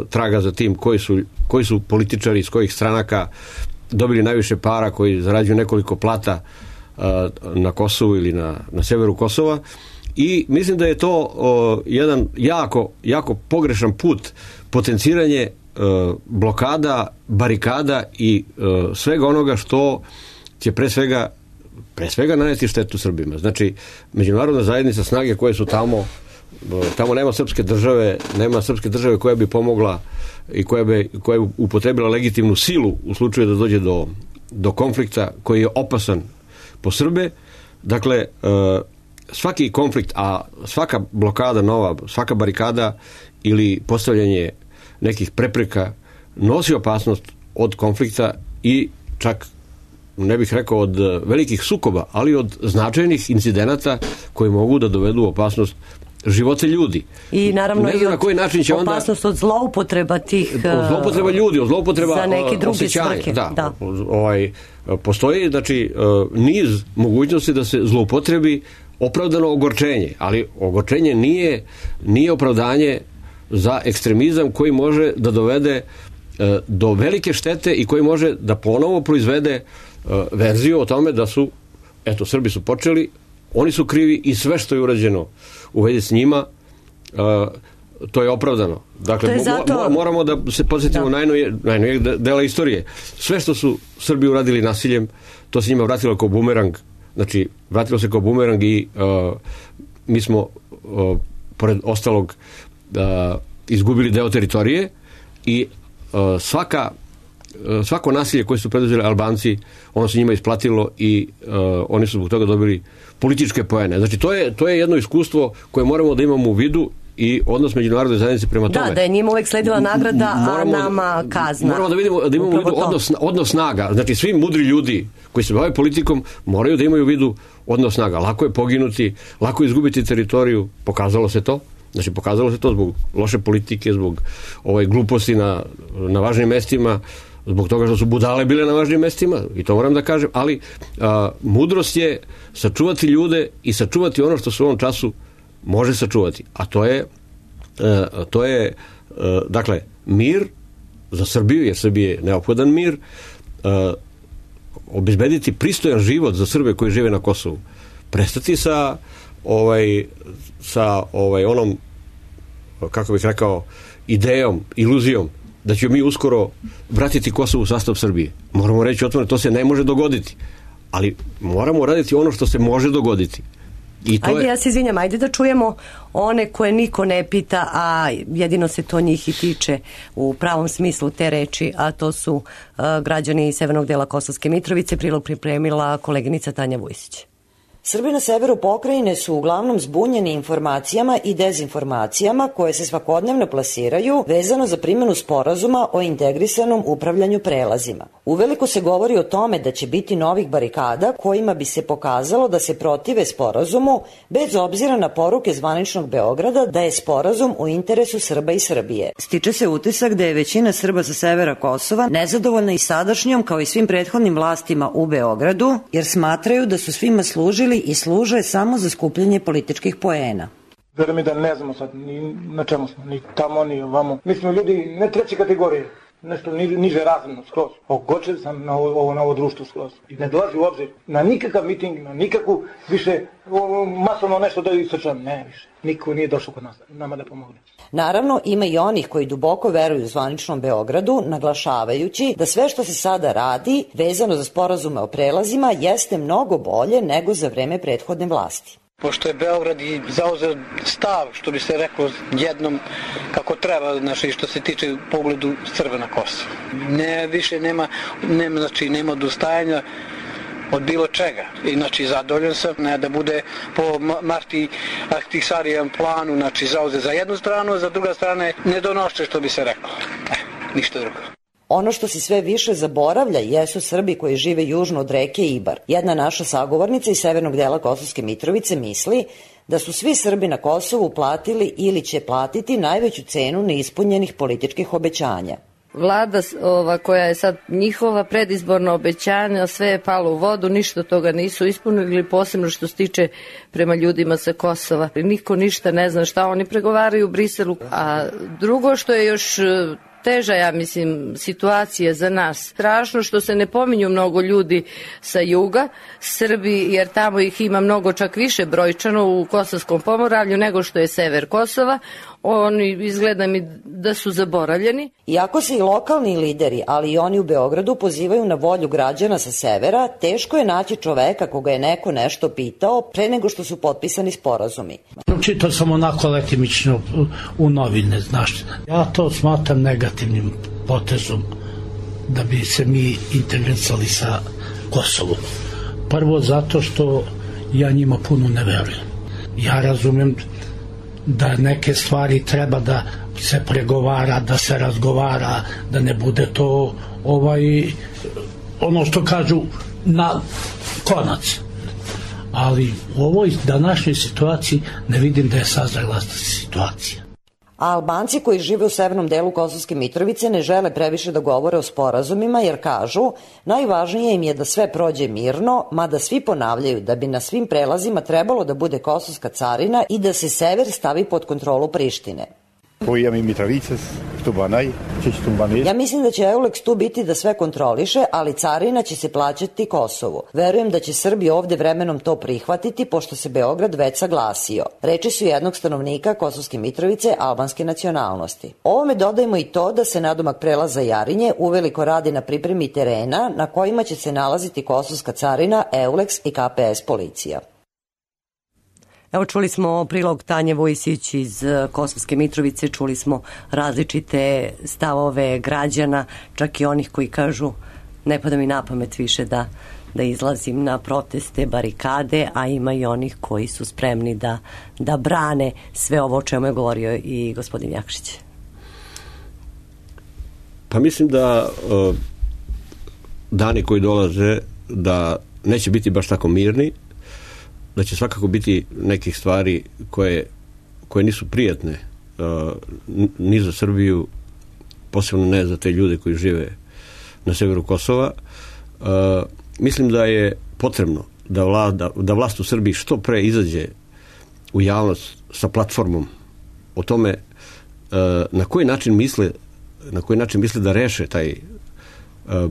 traga za tim koji su, koji su političari iz kojih stranaka dobili najviše para, koji zarađuju nekoliko plata e, na Kosovu ili na, na severu Kosova. I mislim da je to o, jedan jako, jako pogrešan put potenciranje e, blokada, barikada i e, svega onoga što će pre svega pre svega naneti štetu Srbima. Znači, međunarodna zajednica, snage koje su tamo, tamo nema srpske države, nema srpske države koja bi pomogla i koja bi, koja bi upotrebila legitimnu silu u slučaju da dođe do, do konflikta koji je opasan po Srbe. Dakle, svaki konflikt, a svaka blokada nova, svaka barikada ili postavljanje nekih prepreka nosi opasnost od konflikta i čak, ne bih rekao od velikih sukoba, ali od značajnih incidenata koji mogu da dovedu opasnost živote ljudi. I naravno i na koji način će onda opasnost od zloupotreba tih od zloupotreba ljudi, od zloupotreba za neke druge osjećanja. svrhe. Da, da. Ovaj, postoji znači niz mogućnosti da se zloupotrebi opravdano ogorčenje, ali ogorčenje nije, nije opravdanje za ekstremizam koji može da dovede do velike štete i koji može da ponovo proizvede verziju o tome da su, eto, Srbi su počeli, oni su krivi i sve što je urađeno u vezi s njima, to je opravdano. Dakle, je zato... moramo da se podsjetimo najnovijeg dela istorije. Sve što su Srbi uradili nasiljem, to se njima vratilo kao bumerang. Znači, vratilo se kao bumerang i uh, mi smo, uh, pored ostalog, uh, izgubili deo teritorije i uh, svaka, uh, svako nasilje koje su preduzeli Albanci, ono se njima isplatilo i uh, oni su zbog toga dobili političke poene. Znači, to je, to je jedno iskustvo koje moramo da imamo u vidu i odnos međunarodne zajednice prema tome. Da, da je njima uvek sledila nagrada, moramo, a nama kazna. Moramo da vidimo da imamo u vidu odnos, odnos snaga. Znači, svi mudri ljudi koji se bave politikom moraju da imaju u vidu odnos snaga. Lako je poginuti, lako je izgubiti teritoriju, pokazalo se to. Znači, pokazalo se to zbog loše politike, zbog ovaj, gluposti na, na važnim mestima, zbog toga što su budale bile na važnim mestima, i to moram da kažem, ali a, mudrost je sačuvati ljude i sačuvati ono što se u ovom času može sačuvati, a to je e, to je e, dakle mir za Srbiju, jer Srbiji je neophodan mir, e, obezbediti pristojan život za Srbe koji žive na Kosovu, prestati sa ovaj, sa ovaj onom, kako bih rekao, idejom, iluzijom da ćemo mi uskoro vratiti Kosovo u sastav Srbije. Moramo reći otvoreno, to se ne može dogoditi, ali moramo raditi ono što se može dogoditi. I to ajde, je... ja se izvinjam, ajde da čujemo one koje niko ne pita, a jedino se to njih i tiče u pravom smislu te reči, a to su uh, građani severnog dela Kosovske Mitrovice. Prilog pripremila koleginica Tanja Vujsić. Srbi na severu pokrajine su uglavnom zbunjeni informacijama i dezinformacijama koje se svakodnevno plasiraju vezano za primjenu sporazuma o integrisanom upravljanju prelazima. Uveliko se govori o tome da će biti novih barikada kojima bi se pokazalo da se protive sporazumu bez obzira na poruke zvaničnog Beograda da je sporazum u interesu Srba i Srbije. Stiče se utisak da je većina Srba sa severa Kosova nezadovoljna i sadašnjom kao i svim prethodnim vlastima u Beogradu, jer smatraju da su svima služili i služe samo za skupljanje političkih poena. Verujem mi da ne znamo sad ni na čemu smo, ni tamo, ni ovamo. Mi smo ljudi ne treće kategorije, nešto niže razredno skroz. Ogočen sam na ovo, na ovo društvo skroz. I ne dolazi u obzir na nikakav miting, na nikakvu više masovno nešto da isečam. Ne više. Niko nije došao kod nas, nama da pomogne. Naravno, ima i onih koji duboko veruju zvaničnom Beogradu, naglašavajući da sve što se sada radi, vezano za sporazume o prelazima, jeste mnogo bolje nego za vreme prethodne vlasti. Pošto je Beograd i zauzeo stav, što bi se reklo jednom kako treba, znači što se tiče pogledu Srba na Kosovo. Ne, više nema, nema, znači, nema odustajanja od bilo čega. I znači zadovoljan sam ne, da bude po Marti Ahtisarijem planu, znači zauze za jednu stranu, a za druga strane ne donošće, što bi se reklo. E, ništa drugo. Ono što se sve više zaboravlja jesu Srbi koji žive južno od reke Ibar. Jedna naša sagovornica iz severnog dela Kosovske Mitrovice misli da su svi Srbi na Kosovu platili ili će platiti najveću cenu neispunjenih političkih obećanja. Vlada ova, koja je sad njihova predizborna obećanja, sve je palo u vodu, ništa toga nisu ispunili, posebno što se tiče prema ljudima sa Kosova. Niko ništa ne zna šta oni pregovaraju u Briselu. A drugo što je još teža, ja mislim, situacija za nas. Strašno što se ne pominju mnogo ljudi sa juga, Srbi, jer tamo ih ima mnogo, čak više brojčano u Kosovskom pomoravlju nego što je sever Kosova. Oni izgleda mi da su zaboravljeni. Iako se i lokalni lideri, ali i oni u Beogradu pozivaju na volju građana sa severa, teško je naći čoveka koga je neko nešto pitao pre nego što su potpisani sporazumi. Čitao sam onako letimično u novine, znaš. Ja to smatram negativnim potezom da bi se mi integrisali sa Kosovom. Prvo zato što ja njima puno ne verujem. Ja razumem da neke stvari treba da se pregovara, da se razgovara, da ne bude to ovaj ono što kažu na konac. Ali u ovoj današnjoj situaciji ne vidim da je sazrela situacija. A Albanci koji žive u severnom delu Kosovske Mitrovice ne žele previše da govore o sporazumima jer kažu najvažnije im je da sve prođe mirno, mada svi ponavljaju da bi na svim prelazima trebalo da bude kosovska carina i da se sever stavi pod kontrolu Prištine. Ja mislim da će Eulex tu biti da sve kontroliše, ali carina će se plaćati Kosovu. Verujem da će Srbi ovde vremenom to prihvatiti, pošto se Beograd već saglasio. Reči su jednog stanovnika Kosovske Mitrovice albanske nacionalnosti. Ovome dodajemo i to da se nadomak prelaza Jarinje uveliko radi na pripremi terena na kojima će se nalaziti kosovska carina, Eulex i K P S policija. Evo čuli smo prilog Tanje Vojsić iz Kosovske Mitrovice, čuli smo različite stavove građana, čak i onih koji kažu ne pada mi na pamet više da, da izlazim na proteste, barikade, a ima i onih koji su spremni da, da brane sve ovo o čemu je govorio i gospodin Jakšić. Pa mislim da uh, dani koji dolaze da neće biti baš tako mirni, da će svakako biti nekih stvari koje, koje nisu prijatne uh, ni za Srbiju, posebno ne za te ljude koji žive na severu Kosova. Uh, mislim da je potrebno da, vla, da, da vlast u Srbiji što pre izađe u javnost sa platformom o tome uh, na koji način misle na koji način misle da reše taj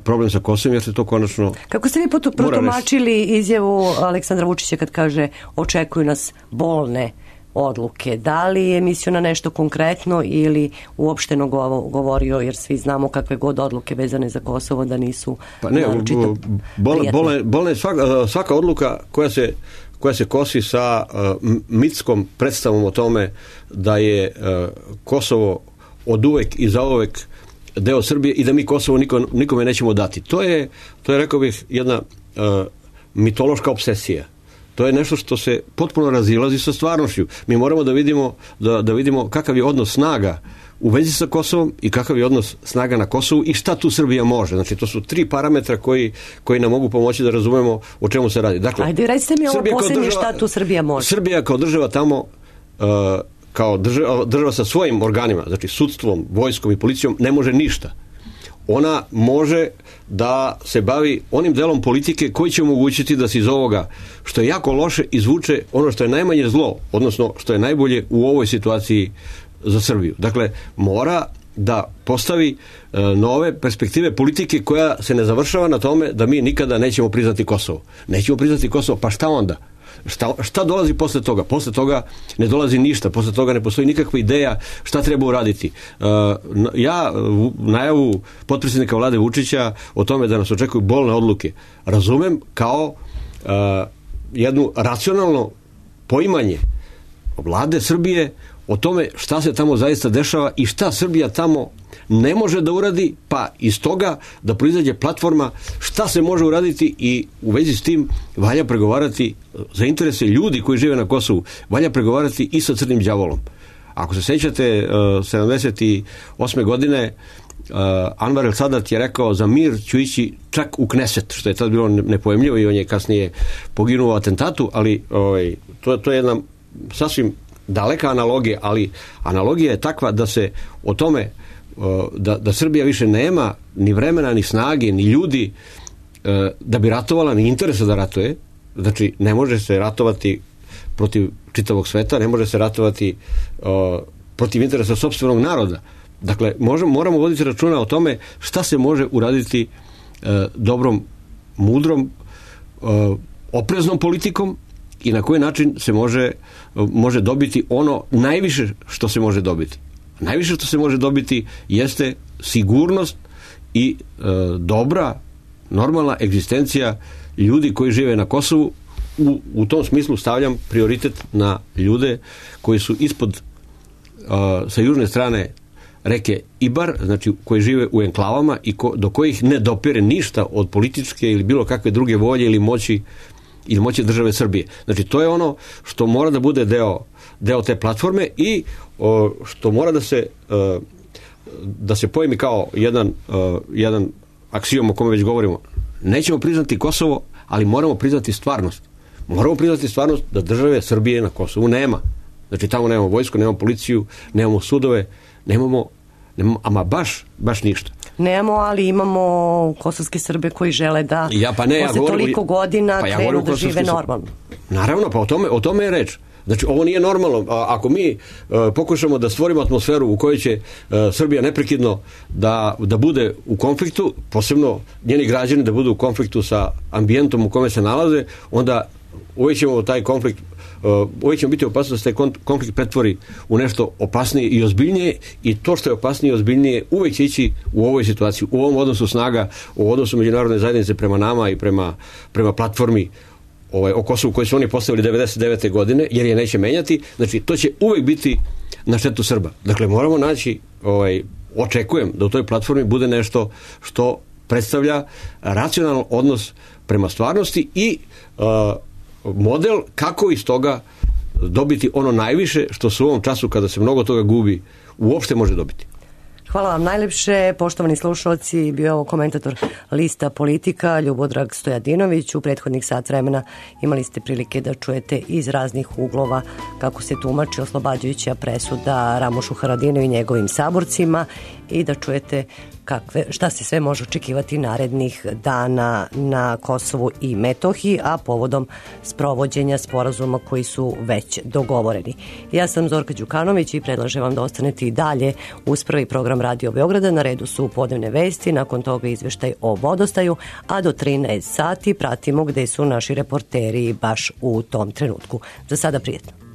problem sa Kosovom, jer se to konačno... Kako ste vi protumačili izjavu Aleksandra Vučića kad kaže očekuju nas bolne odluke? Da li je mislio na nešto konkretno ili uopšteno govorio, jer svi znamo kakve god odluke vezane za Kosovo da nisu pa ne, naročito bolne, bolne, bolne svaka, svaka odluka koja se, koja se kosi sa uh, mitskom predstavom o tome da je uh, Kosovo od uvek i zauvek deo Srbije i da mi Kosovo nikom, nikome nećemo dati. To je, to je rekao bih, jedna uh, mitološka obsesija. To je nešto što se potpuno razilazi sa stvarnošću. Mi moramo da vidimo, da, da vidimo kakav je odnos snaga u vezi sa Kosovom i kakav je odnos snaga na Kosovu i šta tu Srbija može. Znači, to su tri parametra koji, koji nam mogu pomoći da razumemo o čemu se radi. Dakle, ajde, recite mi ovo posljednje šta tu Srbija može. Srbija kao država tamo... Uh, kao država, država sa svojim organima, znači sudstvom, vojskom i policijom, ne može ništa. Ona može da se bavi onim delom politike koji će omogućiti da se iz ovoga, što je jako loše, izvuče ono što je najmanje zlo, odnosno što je najbolje u ovoj situaciji za Srbiju. Dakle, mora da postavi e, nove perspektive politike koja se ne završava na tome da mi nikada nećemo priznati Kosovo. Nećemo priznati Kosovo, pa šta onda? Šta, šta dolazi posle toga? Posle toga ne dolazi ništa, posle toga ne postoji nikakva ideja šta treba uraditi. Uh, ja najavu potpredsjednika vlade Vučića o tome da nas očekuju bolne odluke razumem kao uh, jednu racionalno poimanje vlade Srbije o tome šta se tamo zaista dešava i šta Srbija tamo ne može da uradi, pa iz toga da proizađe platforma šta se može uraditi i u vezi s tim valja pregovarati za interese ljudi koji žive na Kosovu, valja pregovarati i sa crnim đavolom. Ako se sećate, sedamdeset osme godine Anvar el Sadat je rekao za mir ću ići čak u Kneset, što je tad bilo nepojemljivo i on je kasnije poginuo u atentatu, ali ovaj, to, to je jedna sasvim daleka analogija, ali analogija je takva da se o tome da, da Srbija više nema ni vremena, ni snage, ni ljudi da bi ratovala, ni interesa da ratuje. Znači, ne može se ratovati protiv čitavog sveta, ne može se ratovati uh, protiv interesa sopstvenog naroda. Dakle, možemo, moramo voditi računa o tome šta se može uraditi uh, dobrom, mudrom, uh, opreznom politikom i na koji način se može, uh, može dobiti ono najviše što se može dobiti. Najviše što se može dobiti jeste sigurnost i e, dobra, normalna egzistencija ljudi koji žive na Kosovu. U, u tom smislu stavljam prioritet na ljude koji su ispod e, sa južne strane reke Ibar, znači koji žive u enklavama i ko, do kojih ne dopire ništa od političke ili bilo kakve druge volje ili moći ili moći države Srbije. Znači, to je ono što mora da bude deo, deo te platforme i o, što mora da se o, da se pojmi kao jedan, o, jedan aksijom o kome već govorimo. Nećemo priznati Kosovo, ali moramo priznati stvarnost. Moramo priznati stvarnost da države Srbije na Kosovu nema. Znači, tamo nemamo vojsku, nemamo policiju, nemamo sudove, nemamo, nemamo ama baš, baš ništa. Nemamo, ali imamo kosovske Srbe koji žele da ja, pa ne, posle ja govorim, toliko godina pa ja krenu da žive normalno. Naravno, pa o tome, o tome je reč. Znači, ovo nije normalno. A, ako mi uh, pokušamo da stvorimo atmosferu u kojoj će uh, Srbija neprekidno da, da bude u konfliktu, posebno njeni građani da budu u konfliktu sa ambijentom u kome se nalaze, onda uvijek ćemo taj konflikt Uh, uvijek ćemo biti opasno da se taj konflikt pretvori u nešto opasnije i ozbiljnije i to što je opasnije i ozbiljnije uvijek će ići u ovoj situaciji, u ovom odnosu snaga, u odnosu međunarodne zajednice prema nama i prema, prema platformi ovaj, o Kosovu koju su oni postavili devedeset devete godine, jer je neće menjati. Znači, to će uvijek biti na štetu Srba. Dakle, moramo naći, ovaj, očekujem da u toj platformi bude nešto što predstavlja racionalan odnos prema stvarnosti i uh, model kako iz toga dobiti ono najviše što se u ovom času kada se mnogo toga gubi uopšte može dobiti. Hvala vam najlepše, poštovani slušalci, bio je ovo komentator Lista Politika, Ljubodrag Stojadinović. U prethodnih sat vremena imali ste prilike da čujete iz raznih uglova kako se tumači oslobađajuća presuda Ramušu Haradinaju i njegovim saborcima i da čujete kakve, šta se sve može očekivati narednih dana na Kosovu i Metohiji, a povodom sprovođenja sporazuma koji su već dogovoreni. Ja sam Zorka Đukanović i predlažem vam da ostanete i dalje uz prvi program Radio Beograda. Na redu su podnevne vesti, nakon toga izveštaj o vodostaju, a do trinaest sati pratimo gde su naši reporteri baš u tom trenutku. Za sada prijetno.